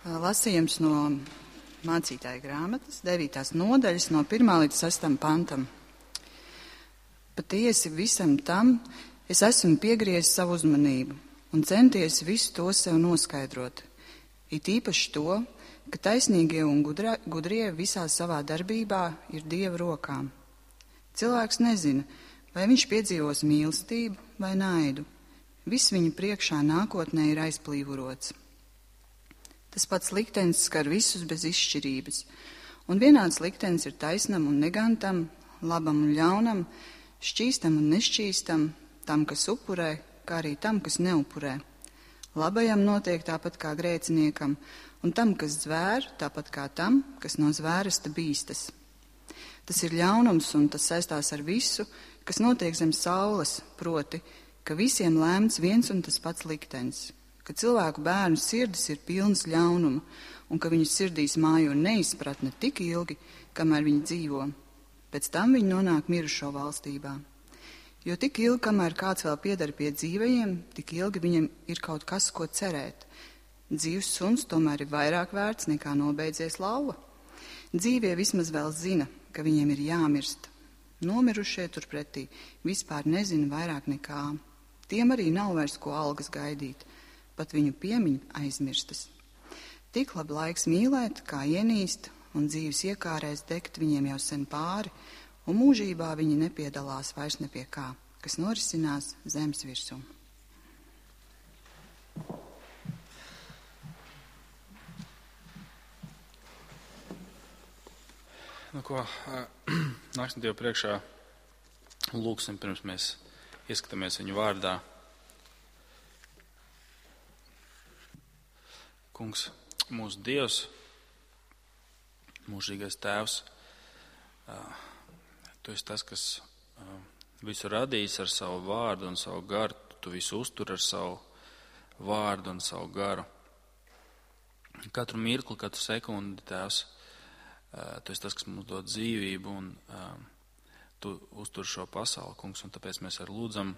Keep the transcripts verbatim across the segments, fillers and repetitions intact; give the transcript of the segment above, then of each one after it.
Lasījums no mācītāja grāmatas, devītās nodaļas, no pirmā līdz sastam pantam. Patiesi visam tam es esmu piegriezis savu uzmanību un centies visu to sev noskaidrot. It īpaši to, ka taisnīgie un gudra, gudrie visā savā darbībā ir Dieva rokām. Cilvēks nezina, vai viņš piedzīvos mīlestību vai naidu. Viss viņa priekšā nākotnē ir aizplīvurots. Tas pats liktenis skar visus bez izšķirības, un vienāds liktenis ir taisnam un negantam, labam un ļaunam, šķīstam un nešķīstam, tam, kas upurē, kā arī tam, kas neupurē. Labajam notiek tāpat kā grēciniekam, un tam, kas zvēr, tāpat kā tam, kas no zvēresta bīstas. Tas ir ļaunums, un tas saistās ar visu, kas notiek zem saules, proti, ka visiem lēmts viens un tas pats liktenis, ka cilvēku bērnu sirdis ir pilnas ļaunuma, un ka viņu sirdīs mājo neizpratne tik ilgi, kamēr viņi dzīvo. Pēc tam viņi nonāk mirušo valstībā. Jo tik ilgi, kamēr kāds vēl pieder pie dzīvajiem, tik ilgi viņam ir kaut kas, ko cerēt. Dzīvs suns tomēr ir vairāk vērts nekā nobeidzies lauva. Dzīvie vismaz vēl zina, ka viņiem ir jāmirst. Nomirušie turpretī vispār nezina vairāk nekā. Tiem arī nav vairs ko algas gaidīt, pat viņu piemiņa aizmirstas. Tik labi laiks mīlēt, kā ienīst, un dzīves iekārēs degt viņiem jau sen pāri, un mūžībā viņi nepiedalās vairs ne pie kā, kas norisinās zemes virsū. Nu ko, nāksim Dievu priekšā un lūksim, pirms mēs ieskatāmies viņu vārdā. Kungs, mūsu Dievs, mūžīgais Tēvs, Tu esi tas, kas visu radījis ar savu vārdu un savu garu, Tu visu uztur ar savu vārdu un savu garu. Katru mirkli, katru sekundi, Tēvs, Tu esi tas, kas mums dod dzīvību un Tu uztur šo pasauli, Kungs, un tāpēc mēs arī lūdzam,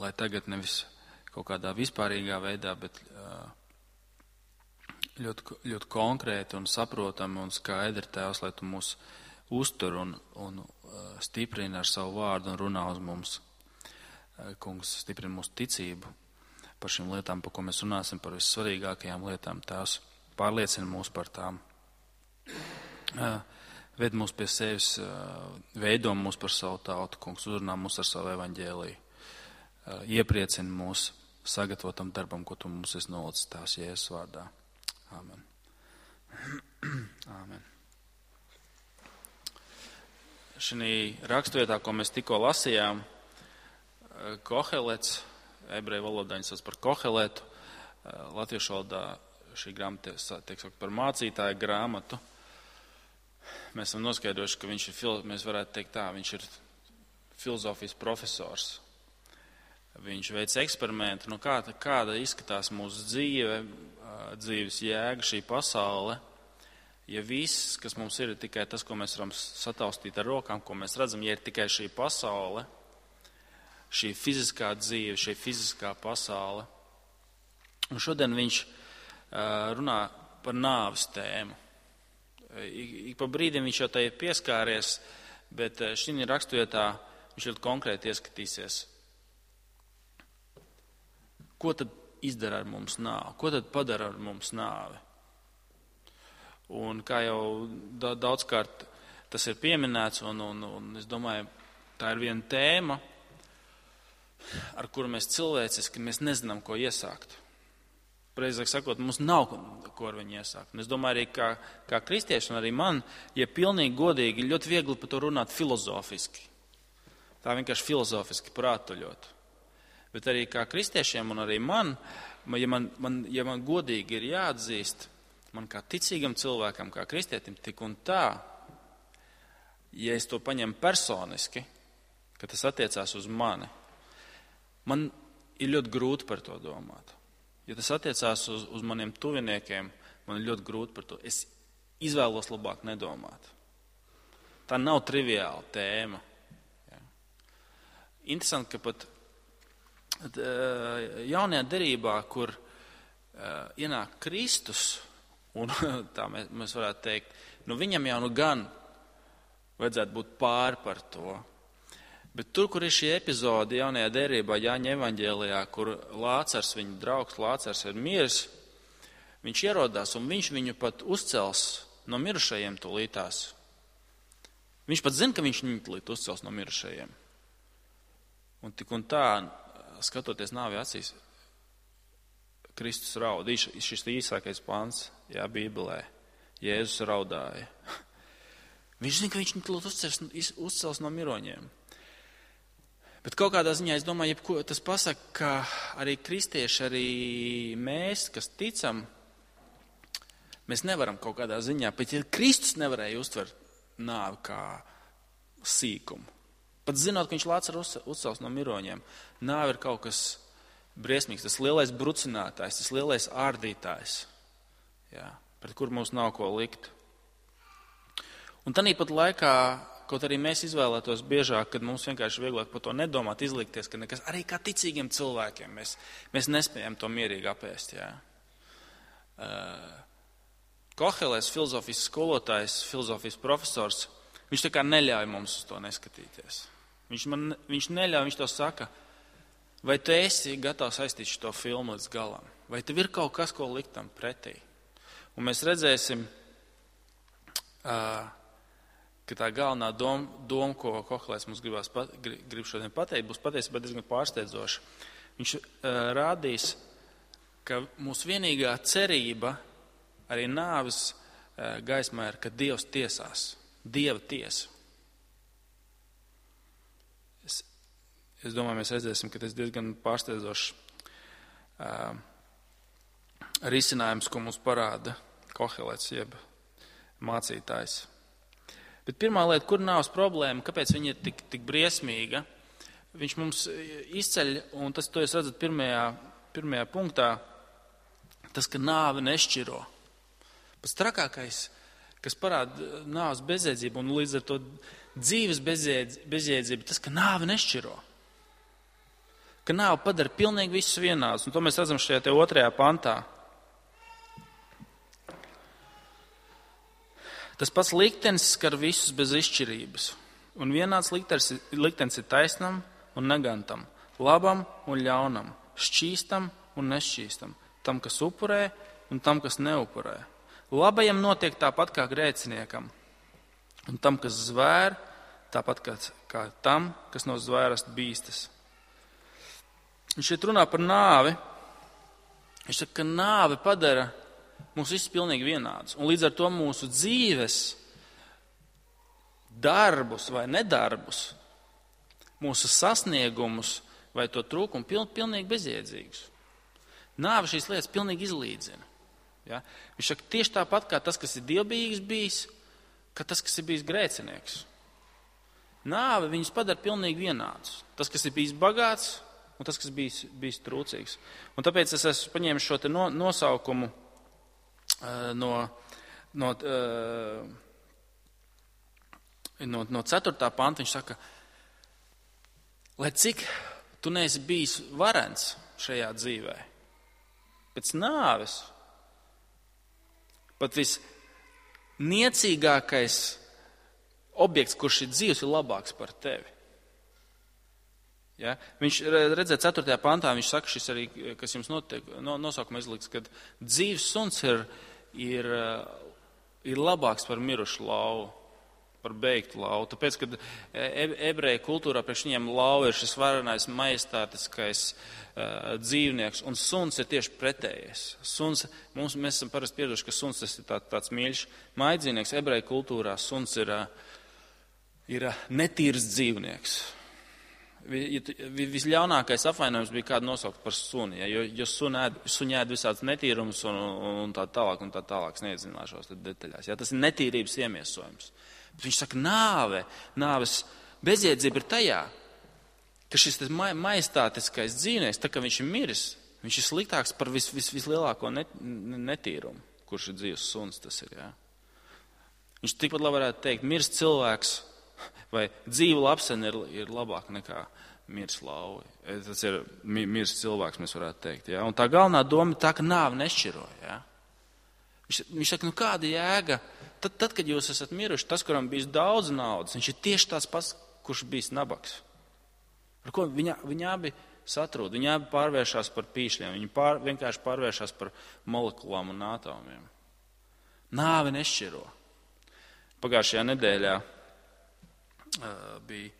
lai tagad nevis kaut kādā vispārīgā veidā, bet ļoti, ļoti konkrēti un saprotami un skaidri, Tēvs, lai Tu mūs uztur un, un stiprina ar savu vārdu un runā uz mums. Kungs, stiprina mūsu ticību par šīm lietām, par ko mēs runāsim, par vissvarīgākajām lietām, Tēvs, pārliecina mūs par tām. Ved mūs pie sevis, veido mūs par savu tautu, Kungs, uzrunā mūs ar savu evaņģēliju. Iepriecina mūs sagatavotam darbam, ko Tu mums esi nolicis, Tēvs, Jēzus vārdā. Āmen. Āmen. Šī raksturvietā, ko mēs tikko lasījām, Kohelets, ebreju valodā viņi sauc par Koheletu, latviešu valodā šī grāmata tiek saukt par mācītāja grāmatu. Mēs esam noskaidrojuši, ka viņš ir, mēs varētu teikt tā, viņš ir filozofijas profesors. Viņš veic eksperimentu, nu kā, kāda izskatās mūsu dzīve, dzīves jēga, šī pasaule, ja viss, kas mums ir, ir tikai tas, ko mēs varam sataustīt ar rokām, ko mēs redzam, ja ir tikai šī pasaule, šī fiziskā dzīve, šī fiziskā pasaule. Un šodien viņš runā par nāves tēmu. Ik pa brīdim viņš jau tai ir pieskāries, bet šī raksturvietā viņš ļoti konkrēti ieskatīsies. Ko tad izdara ar mums nāvi? Ko tad padara ar mums nāvi? Un kā jau daudzkārt tas ir pieminēts, un, un, un es domāju, tā ir viena tēma, ar kuru mēs cilvēciski mēs nezinām, ko iesākt. Precīzāk sakot, mums nav ko ar viņu iesākt. Un es domāju, arī kā, kā kristieši, un arī man, ja pilnīgi godīgi, ļoti viegli par to runāt filozofiski. Tā vienkārši filozofiski prātuļot. Bet arī kā kristiešiem un arī man, ja man, man, ja man godīgi ir jāatzīst, man kā ticīgam cilvēkam, kā kristietim, tik un tā, ja es to paņemu personiski, ka tas attiecās uz mani, man ir ļoti grūti par to domāt. Ja tas attiecās uz, uz maniem tuviniekiem, man ir ļoti grūti par to. Es izvēlos labāk nedomāt. Tā nav triviāla tēma. Ja. Interesanti, ka pat jaunajā derībā, kur ienāk Kristus, un tā mēs, mēs varētu teikt, nu viņam jau nu gan vajadzētu būt pāri par to. Bet tur, kur ir šī epizode jaunajā derībā, Jāņa evaņģēlijā, kur Lācars, viņa draugs Lācars ir miris, viņš ierodās un viņš viņu pat uzcels no mirušajiem tūlītās. Viņš pat zina, ka viņš viņu tūlīt uzcels no mirušajiem. Un tik un tā, skatoties nāvi acīs, Kristus raud. Šis īsākais pants, jā, Bībelē. Jēzus raudāja. Viņš zina, ka viņš viņu tūlīt uzcels, uzcels no miroņiem. Bet kaut kādā ziņā, es domāju, jebko, tas pasaka, ka arī kristieši, arī mēs, kas ticam, mēs nevaram kaut kādā ziņā, bet ja Kristus nevarēja uztvert nāvi kā sīkumu, pat zinot, ka viņš Lācaru uzcels no miroņiem, nāve ir kaut kas briesmīgs, tas lielais brucinātājs, tas lielais ārdītājs, jā, pret kur mums nav ko likt. Un tanīpat laikā, kaut arī mēs izvēlētos biežāk, kad mums vienkārši vieglāk par to nedomāt, izlikties, ka nekas, arī kā ticīgiem cilvēkiem mēs, mēs nespējam to mierīgi apēst. Jā. Uh, Kohelēs, filozofijas skolotājs, filozofijas profesors, viņš tā kā neļauj mums uz to neskatīties. Viņš, man, viņš neļauj, viņš to saka, vai tu esi gatavs aiztīt šo filmu līdz galam, vai tev ir kaut kas, ko likt tam pretī. Un mēs redzēsim, uh, ka tā galvenā doma, doma ko Kohelēs mums gribās, pat, grib šodien pateikt, būs patiesībā diezgan pārsteidzoša. Viņš uh, rādīs, ka mūsu vienīgā cerība arī nāves uh, gaismā ir, ka Dievs tiesās, Dieva tiesa. Es, es domāju, mēs redzēsim, ka tas diezgan pārsteidzošs uh, risinājums, ko mums parāda Kohelēts, jeb mācītājs. Bet pirmā lieta, kur nāves problēma, kāpēc viņa ir tik, tik briesmīga, viņš mums izceļ, un tas, to jūs redzat pirmajā, pirmajā punktā, tas, ka nāve nešķiro. Pats trakākais, kas parāda nāves bezjēdzību un līdz ar to dzīves bezjēdzību, tas, ka nāve nešķiro. Ka nāve padara pilnīgi visus vienādus, un to mēs redzam šajā te otrajā pantā. Tas pats liktenis skar visus bez izšķirības, un vienāds liktenis, liktenis ir taisnam un negantam, labam un ļaunam, šķīstam un nešķīstam, tam, kas upurē un tam, kas neupurē. Labajam notiek tāpat kā grēciniekam, un tam, kas zvēr, tāpat kā, kā tam, kas no zvērast bīstas. Viņš šeit runā par nāvi. Viņš saka, ka nāve padara mūs visus pilnīgi vienādus. Un līdz ar to mūsu dzīves, darbus vai nedarbus, mūsu sasniegumus vai to trūkumu piln, pilnīgi bezjēdzīgus. Nāve šīs lietas pilnīgi izlīdzina. Ja? Viņš saka, tieši tāpat kā tas, kas ir dievbijīgs bijis, ka tas, kas ir bijis grēcinieks. Nāve viņus padara pilnīgi vienādus. Tas, kas ir bijis bagāts un tas, kas ir bijis, bijis trūcīgs. Un tāpēc es esmu paņēmis šo te no, nosaukumu No, no, no, no ceturtā panta. Viņš saka, lai cik tu neesi bijis varens šajā dzīvē, pēc nāves, pat visniecīgākais objekts, kurš ir dzīvs, ir labāks par tevi. Ja? Viņš redzēja ceturtajā pantā, viņš saka, šis arī, kas jums notiek, no, nosaukuma izliks, kad dzīves suns ir, ir, ir labāks par mirušu lauvu, par beigtu lauvu. Tāpēc, kad ebreju kultūrā priekš viņiem lauva ir šis varenais, majestātiskais uh, dzīvnieks, un suns ir tieši pretējais. Suns, mums, mēs esam parasti pieraduši, ka suns tas ir tā, tāds mīļš maidzīvnieks. Ebreju kultūrā suns ir, ir netīrs dzīvnieks. Visļaunākais apvainojums bija kādu nosaukt par suni, ja, jo, jo suņi ēd visāds netīrums un, un tā tālāk un tā tālāk, es neiedzināšos detaļās. Ja, tas ir netīrības iemiesojums. Bet viņš saka, nāve, nāves bezjēdzība ir tajā, ka šis majestātiskais dzīvnieks, tā kā viņš ir miris, viņš ir sliktāks par vis, vis, vislielāko net, netīrumu, kurš ir dzīves suns, tas ir. Ja. Viņš tikpat labi varētu teikt, mirst cilvēks, vai dzīva lapsena ir, ir labāka nekā, mirs lauvi. Tas ir mirs cilvēks, mēs varētu teikt. Ja? Un tā galvenā doma ir tā, ka nāve nešķiro. Ja? Viņš, viņš saka, nu kāda jēga? Tad, tad, kad jūs esat miruši, tas, kuram bijis daudz naudas, viņš ir tieši tāds pats, kurš bijis nabaks. Ar ko viņa, viņa abi satrūd, viņi abi pārvēršās par pīšļiem, viņi pār, vienkārši pārvēršās par molekulām un atomiem. Nāve nešķiro. Pagājušajā nedēļā uh, bija,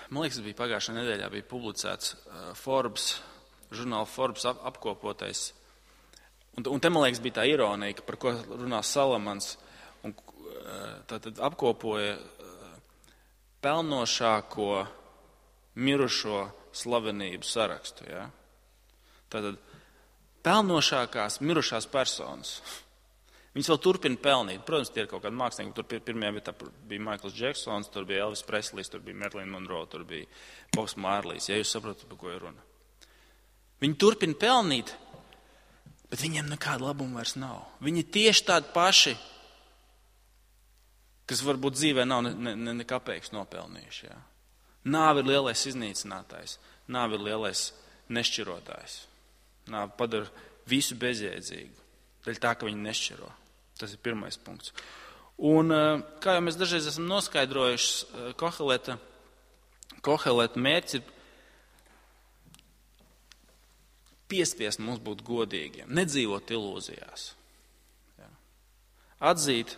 man liekas, bija pagājušajā nedēļā bija publicēts uh, Forbes, žurnāla Forbes ap, apkopotais. Un, un te, man liekas, bija tā ironija, par ko runā Salamans, un uh, tātad apkopoja uh, pelnošāko mirušo slavenību sarakstu. Ja? Tātad pelnošākās mirušās personas. Viņas vēl turpina pelnīt. Protams, tie ir kaut kādi mākslinieki. Tur pirmajā vietā bija Maikls Džeksons, tur bija Elvis Preslijs, tur bija Marilyn Monroe, tur bija Bobs Mārlijs. Ja jūs saprotat, par ko ir runa. Viņi turpina pelnīt, bet viņiem nekāda labuma vairs nav. Viņi tieši tādi paši, kas varbūt dzīvē nav ne, ne, ne kapeiks nopelnījuši. Ja? Nāve ir lielais iznīcinātājs. Nāve ir lielais nešķirotājs. Nāve padara visu bezjēdzīgu. Daļ tā, ka viņi nešķiro. Tas ir pirmais punkts. Un, kā jau mēs dažreiz esam noskaidrojuši, Koheleta, Koheleta mērķis ir piespiest mums būt godīgiem, nedzīvot ilūzijās. Jā. Atzīt,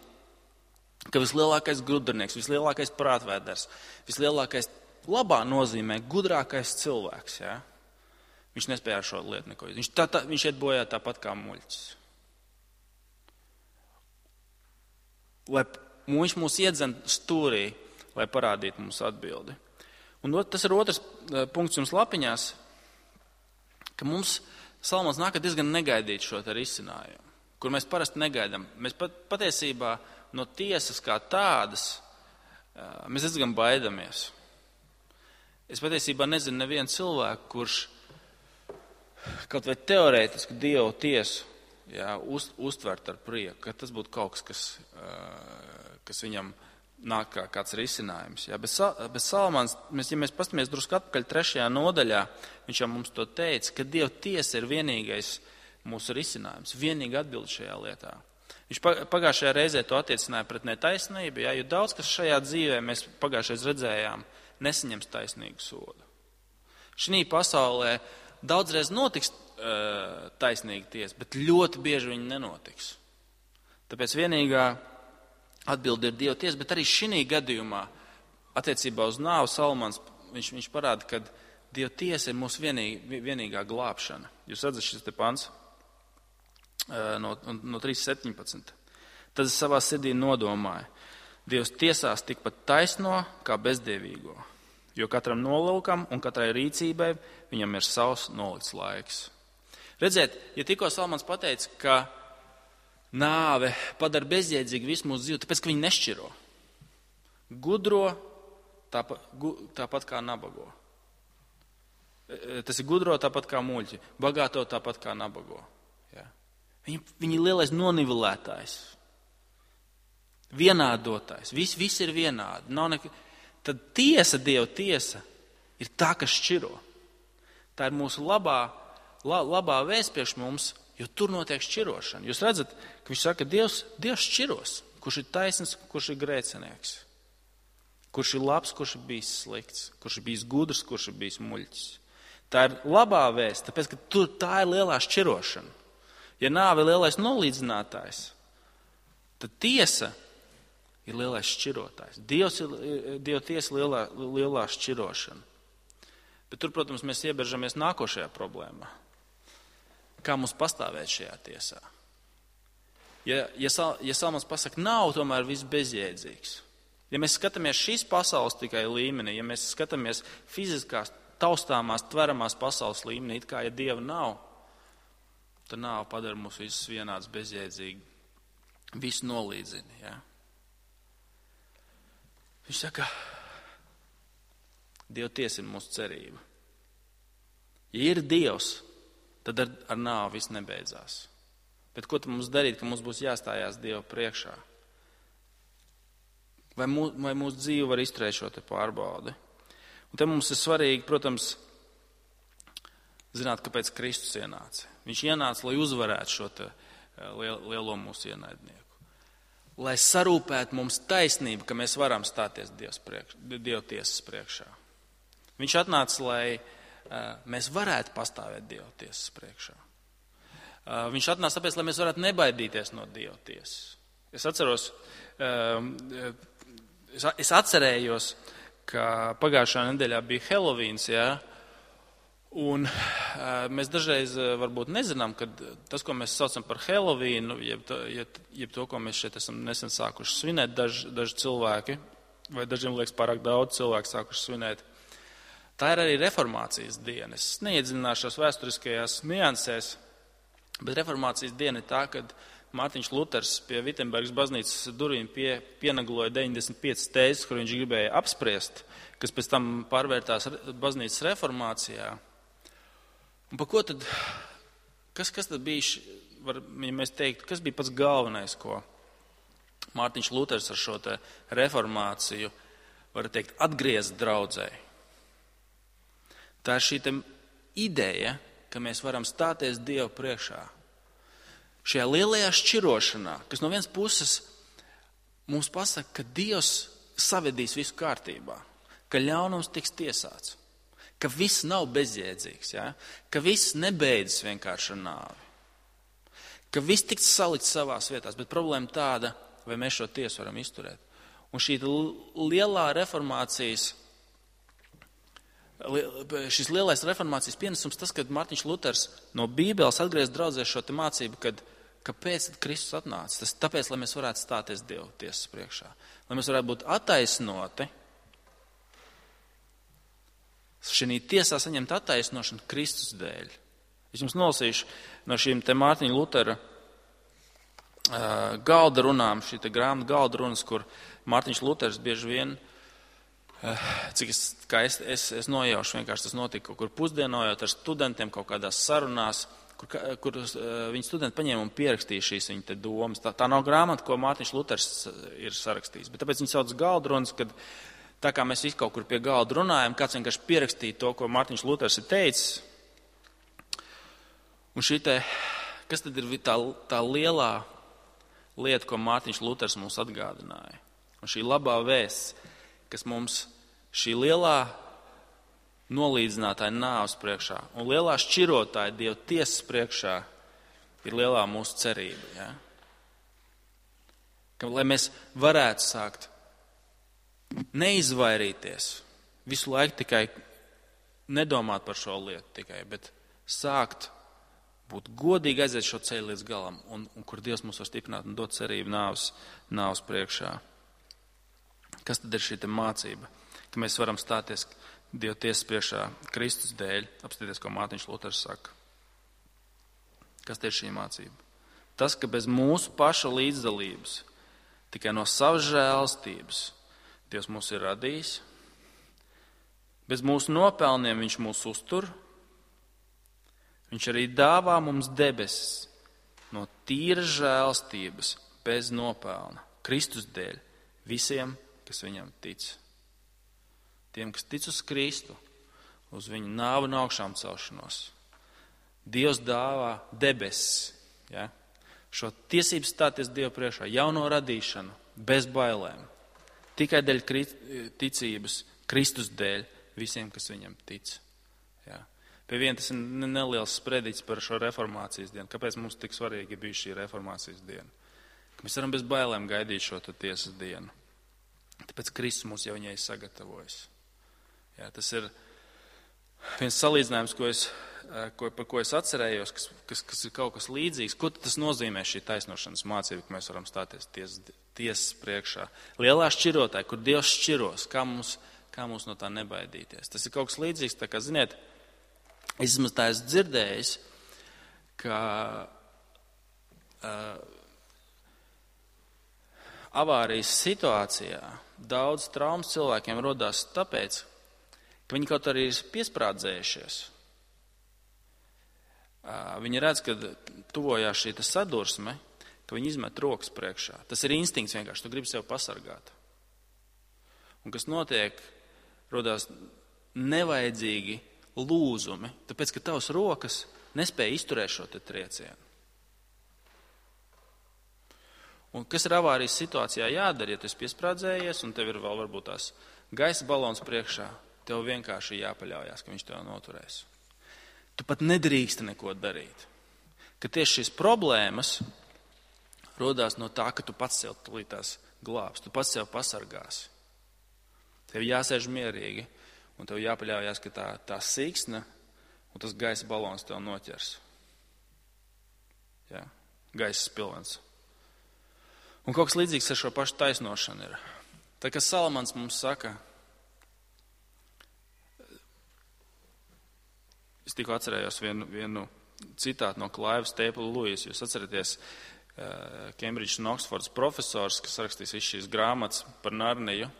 ka vislielākais gudrinieks, vislielākais prātvēders, vislielākais labā nozīmē gudrākais cilvēks. Jā. Viņš nespēja ar šo lietu neko. Viņš, tā, tā, viņš iet bojā tāpat kā muļķis. Lai viņš mūs iedzen stūrī, lai parādītu mums atbildi. Un tas ir otrs punkts jums lapiņās, ka mums Salamans nāk diezgan negaidīt šo te risinājumu, kur mēs parasti negaidām. Mēs pat, patiesībā no tiesas kā tādas, mēs diezgan baidamies. Es patiesībā nezinu nevienu cilvēku, kurš kaut vai teorētiski Dievu tiesu jā, uz, uztvert ar prieku, ka tas būtu kaut kas, kas, kas viņam nāk kā kāds risinājums. Jā, bet, bet Salamans, mēs, ja mēs pastamies drusku atpakaļ trešajā nodaļā, viņš jau mums to teica, ka Dieva tiesa ir vienīgais mūsu risinājums, vienīga atbilde šajā lietā. Viņš pagājušajā reizē to attiecināja pret netaisnību, jā, jo daudz, kas šajā dzīvē mēs pagājušais redzējām, nesaņems taisnīgu sodu. Šī pasaulē daudzreiz notiks uh, taisnīga tiesa, bet ļoti bieži viņa nenotiks. Tāpēc vienīgā atbilde ir Dieva tiesa, bet arī šī gadījumā attiecībā uz nāvu Salamans viņš, viņš parāda, ka Dieva tiesa ir mūsu vienīg, vienīgā glābšana. Jūs redzat šis te pants uh, no, no trīs septiņpadsmit. Tad es savā sirdī nodomāju, Dievs tiesās tikpat taisno kā bezdievīgo. Jo katram nolūkam un katrai rīcībai viņam ir savs nolikts laiks. Redziet, ja tikko Salamans pateica, ka nāve padara bezjēdzīgi visu mūsu dzīvi, tāpēc, ka viņi nešķiro. Gudro tāpat, gu, tāpat kā nabago. Tas ir gudro tāpat kā muļķi, bagāto tāpat kā nabago. Ja. Viņi, viņi ir lielais nonivelētājs, vienādotājs, viss vis ir vienādi, nav nekā. Tad tiesa, Dieva tiesa, ir tā, kas šķiro. Tā ir mūsu labā, la, labā vēsts priekš mums, jo tur notiek šķirošana. Jūs redzat, ka viņš saka, ka Dievs, Dievs šķiros, kurš ir taisns, kurš ir grēcinieks, kurš ir labs, kurš ir bijis slikts, kurš ir bijis gudrs, kurš ir bijis muļķis. Tā ir labā vēsts, tāpēc, ka tur tā ir lielā šķirošana. Ja nāve ir lielais nolīdzinātājs, tad tiesa ir lielais šķirotājs. Dievs ir Dieva tiesa lielā, lielā šķirošana. Bet tur, protams, mēs ieberžamies nākošajā problēmā. Kā mums pastāvēt šajā tiesā? Ja, ja, ja Salamans pasaka, nav tomēr viss bezjēdzīgs. Ja mēs skatāmies šīs pasaules tikai līmenī, ja mēs skatāmies fiziskās, taustāmās, tveramās pasaules līmenī, it kā ja Dieva nav, tad nav padara mūs visus vienāds bezjēdzīgi. Visu nolīdzina, ja? Viņš saka, Dieva tiesa ir mūsu cerība. Ja ir Dievs, tad ar, ar nāvi viss nebeidzās. Bet ko tad mums darīt, ka mums būs jāstājās Dieva priekšā? Vai, mū, vai mūsu dzīve var izturēt šo te pārbaudi? Un te mums ir svarīgi, protams, zināt, kāpēc Kristus ienāca. Viņš ienāca, lai uzvarētu šo te lielo mūsu ienaidnieku. Lai sarūpētu mums taisnību, ka mēs varam stāties Dieva tiesas priekšā. Viņš atnāca, lai uh, mēs varētu pastāvēt Dieva tiesas priekšā. Uh, viņš atnāca tāpēc, lai mēs varētu nebaidīties no Dieva tiesas. Es atceros, uh, es, es atcerējos, ka pagājušā nedēļā bija Helovīns, jā, un uh, mēs dažreiz uh, varbūt nezinām, ka tas, ko mēs saucam par Helovīnu, jeb, jeb, jeb to, ko mēs šeit esam nesen sākuši svinēt, daži, daži cilvēki, vai dažiem liekas pārāk daudz cilvēku sākuši svinēt, tā ir arī reformācijas diena. Es neiedziļināšos vēsturiskajās niansēs, bet reformācijas diena ir tā, kad Mārtiņš Luters pie Vitsenbergas baznīcas durvīm pie, pienagloja deviņdesmit piecas tēzes, kur viņš gribēja apspriest, kas pēc tam pārvērtās baznīcas reformācijā. Un pa ko tad, kas, kas tad bija, var, ja mēs teiktu, kas bija pats galvenais, ko Mārtiņš Luters ar šo te reformāciju, var teikt, atgriezt draudzē? Tā ir šī te ideja, ka mēs varam stāties Dievu priekšā. Šajā lielajā šķirošanā, kas no vienas puses mums pasaka, ka Dievs savedīs visu kārtībā, ka ļaunums tiks tiesāts, ka viss nav bezjēdzīgs, ja? Ka viss nebeidzas vienkārši ar nāvi, ka viss tiks salikts savās vietās, bet problēma tāda, vai mēs šo tiesu varam izturēt. Un šī lielā reformācijas, šis lielais reformācijas pienesums, tas, kad Mārtiņš Luters no Bībeles atgriez draudzē šo te mācību, kad kāpēc tad Kristus atnāca? Tas tāpēc, lai mēs varētu stāties Dieva tiesas priekšā, lai mēs varētu būt attaisnoti, šī tiesā saņemt attaisnošanu Kristus dēļ. Es jums nolasīšu no šīm te Mārtiņa Lutera uh, galda runām, šī te grāmata galda runas, kur Mārtiņš Luters bieži vien cik es, kā es, es, es nojaušu, vienkārši tas notika kaut kur pusdienojot ar studentiem kaut kādās sarunās, kur, kur viņi studenti paņēma un pierakstīja šīs viņa te domas. Tā, tā nav grāmata, ko Mārtiņš Luters ir sarakstījis, bet tāpēc viņi sauc galdrunas, kad tā kā mēs visi kaut kur pie galda runājam, kāds vienkārši pierakstīja to, ko Mārtiņš Luters ir teicis. Un šī te, kas tad ir tā, tā lielā lieta, ko Mārtiņš Luters mums atgādināja? Un šī labā vēsts, kas mums šī lielā nolīdzinātāja nāves priekšā un lielā šķirotāja Dieva tiesas priekšā ir lielā mūsu cerība. Ja? Ka, lai mēs varētu sākt neizvairīties, visu laiku tikai nedomāt par šo lietu tikai, bet sākt būt godīgi, aiziet šo ceļu līdz galam, un, un kur Dievs mums var stiprināt un dot cerību nāves, nāves priekšā. Kas tad ir šī te mācība? Ka mēs varam stāties Dieva tiesas priekšā Kristus dēļ, apstīties, ko Mārtiņš Luters saka. Kas ir šī mācība? Tas, ka bez mūsu paša līdzdalības, tikai no savas žēlstības Dievs mūs ir radījis, bez mūsu nopelniem Viņš mūs uztur, Viņš arī dāvā mums debesis no tīras žēlstības bez nopelna, Kristus dēļ, visiem, kas viņam tic. Tiem, kas tic uz Kristu, uz viņu nāvu un augšām celšanos. Dievs dāvā debesis, ja? Šo tiesību stāties Dievu priekšā, jauno radīšanu, bez bailēm. Tikai dēļ ticības, Kristus dēļ, visiem, kas viņam tic. Ja? Pie viena tas ir neliels sprediķis par šo reformācijas dienu. Kāpēc mums tik svarīgi bija šī reformācijas diena? Ka mēs varam bez bailēm gaidīt šo tiesas dienu. Tāpēc Kristus mūs jau viņai sagatavojas. Jā, tas ir viens salīdzinājums, ko es, ko, par ko es atcerējos, kas, kas, kas ir kaut kas līdzīgs. Ko tas nozīmē šī taisnošanas mācība, ka mēs varam stāties tiesas, tiesas priekšā? Lielā šķirotāja, kur Dievs šķiros, kā mums, kā mums no tā nebaidīties. Tas ir kaut kas līdzīgs, tā kā, ziniet, es esmu tā esmu dzirdējis, ka uh, avārijas situācijā daudz traumas cilvēkiem rodās tāpēc, ka viņi kaut arī ir piesprādzējušies. Viņi redz, ka tuvojās šī sadursme, ka viņi izmet rokas priekšā. Tas ir instinkts vienkārši, tu gribi sev pasargāt. Un kas notiek, rodās nevajadzīgi lūzumi, tāpēc, ka tavas rokas nespēja izturēt šo te triecienu. Un kas ir avārijas situācijā jādara, ja tu esi piesprādzējies un tev ir vēl varbūt tās gaisa balons priekšā, tev vienkārši jāpaļaujās, ka viņš tev noturēs. Tu pat nedrīksti neko darīt. Ka tieši šīs problēmas rodās no tā, ka tu pats sev tulītās glābs, tu pats sev pasargāsi. Tev jāsēž mierīgi un tev jāpaļaujās, ka tā, tā siksna un tas gaisa balons tev noķers. Jā, gaisa spilvens. Un kaut kas līdzīgs ar šo pašu taisnošanu ir. Tā kā Salamans mums saka, es tikko atcerējos vienu, vienu citātu no Clive Staple Lewis. Jūs atceraties Cambridge un Oxfords profesors, kas rakstīs visu šīs grāmatas par Narniju.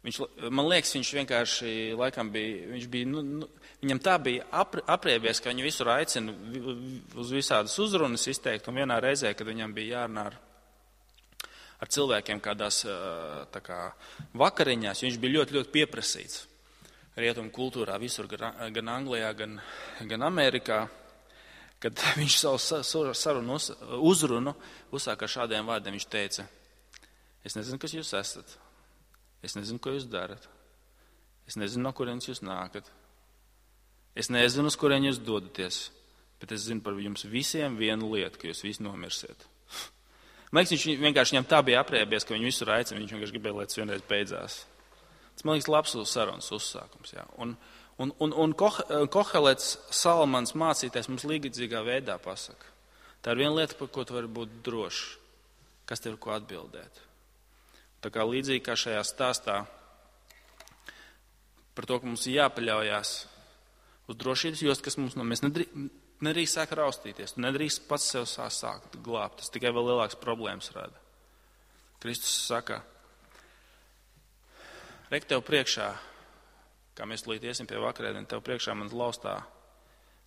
Viņš, man liekas, viņš vienkārši laikam bija, viņš bija, nu, nu, viņam tā bija apriebies, ka viņu visur aicina uz visādas uzrunas izteikt, un vienā reizē, kad viņam bija jārunā ar, ar cilvēkiem kādās tā kā vakariņās, viņš bija ļoti, ļoti pieprasīts. Rietumu kultūrā visur, gan Anglijā, gan, gan Amerikā, kad viņš savu sarunu uzrunu uzsāka ar šādiem vārdiem. Viņš teica, es nezinu, kas jūs esat, es nezinu, ko jūs darat, es nezinu, no kurienes jūs nākat, es nezinu, uz kurien jūs dodaties, bet es zinu par jums visiem vienu lietu, ka jūs visi nomirsiet. Man liekas, viņš vienkārši viņam tā bija apriebies, ka viņu visur aicina, viņš vienkārši gribēja, lai tas vienreiz beidzās. Tas, man liekas, labs sarunas uzsākums. Jā. Un, un, un, un Kohelets, Salamans mācītājs mums līdzīgā veidā pasaka. Tā ir viena lieta, par ko tu vari būt drošs, kas tev ir ko atbildēt. Tā kā līdzīgi kā šajā stāstā par to, ka mums ir jāpaļaujās uz drošības jostu, kas mums no mēs nedrīkst, nedrīkst sāk raustīties, tu nedrīkst pats sev sākt glābt, tas tikai vēl lielāks problēmas rada. Kristus saka, rek tev priekšā, kā mēs līdz iesim pie vakarēdiena, tev priekšā man laustā,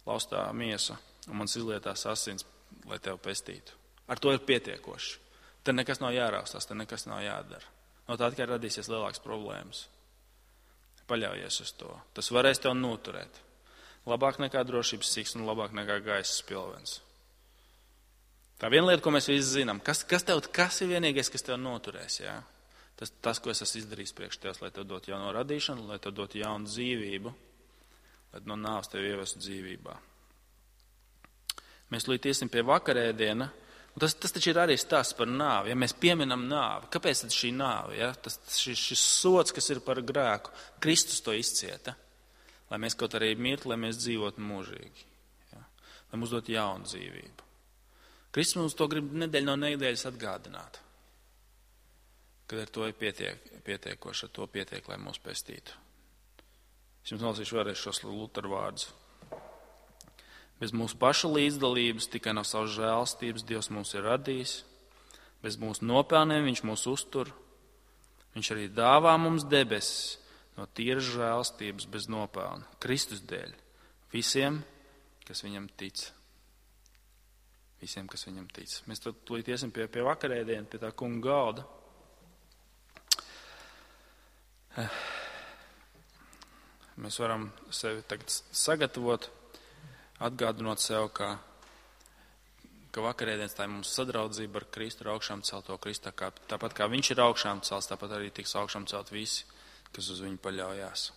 laustā miesa un mans izlietās asins, lai tev pestītu. Ar to ir pietiekoši. Te nekas nav jāraustās, te nekas nav jādara. No tā tikai radīsies lielākas problēmas. Paļaujies uz to. Tas varēs tev noturēt. Labāk nekā drošības siks un labāk nekā gaisa spilvens. Tā viena lieta, ko mēs visi zinām, kas, kas, tev, kas ir vienīgais, kas tev noturēs, jā? Tas, tas, ko es esmu izdarījis priekš tev, lai tev dot jauno radīšanu, lai tev dot jaunu dzīvību, lai no nāves tev ievestu dzīvībā. Mēs līdz iesim pie vakarēdiena, un tas, tas taču ir arī stāsts par nāvi, ja mēs pieminam nāvi. Kāpēc tad šī nāve, ja? Tas, šis, šis sods, kas ir par grēku, Kristus to izcieta, lai mēs kaut arī mirtu, lai mēs dzīvotu mūžīgi, ja? Lai mums dot jaunu dzīvību. Kristus mums to grib nedēļu no nedēļas atgādināt. Kad ar to ir pietiek, pietiekoši, ar to pietiek, lai mūs pestītu. Es jums nolasīšu vēlreiz šos Luteru vārdus. Bez mūsu paša līdzdalības, tikai no savas žēlstības Dievs mūs ir radījis. Bez mūsu nopelniem viņš mūs uztur. Viņš arī dāvā mums debesis no tīras žēlstības bez nopelna. Kristus dēļ. Visiem, kas viņam tic. Visiem, kas viņam tic. Mēs tad tūlīt iesim pie, pie vakarēdiena, pie tā kunga galda. Mēs varam sevi tagad sagatavot, atgādinot sev, ka, ka vakarēdienas tā ir mums sadraudzība ar Kristu, ar augšām celto Kristu. Tāpat kā viņš ir augšām celts, tāpat arī tiks augšām celt visi, kas uz viņu paļaujās.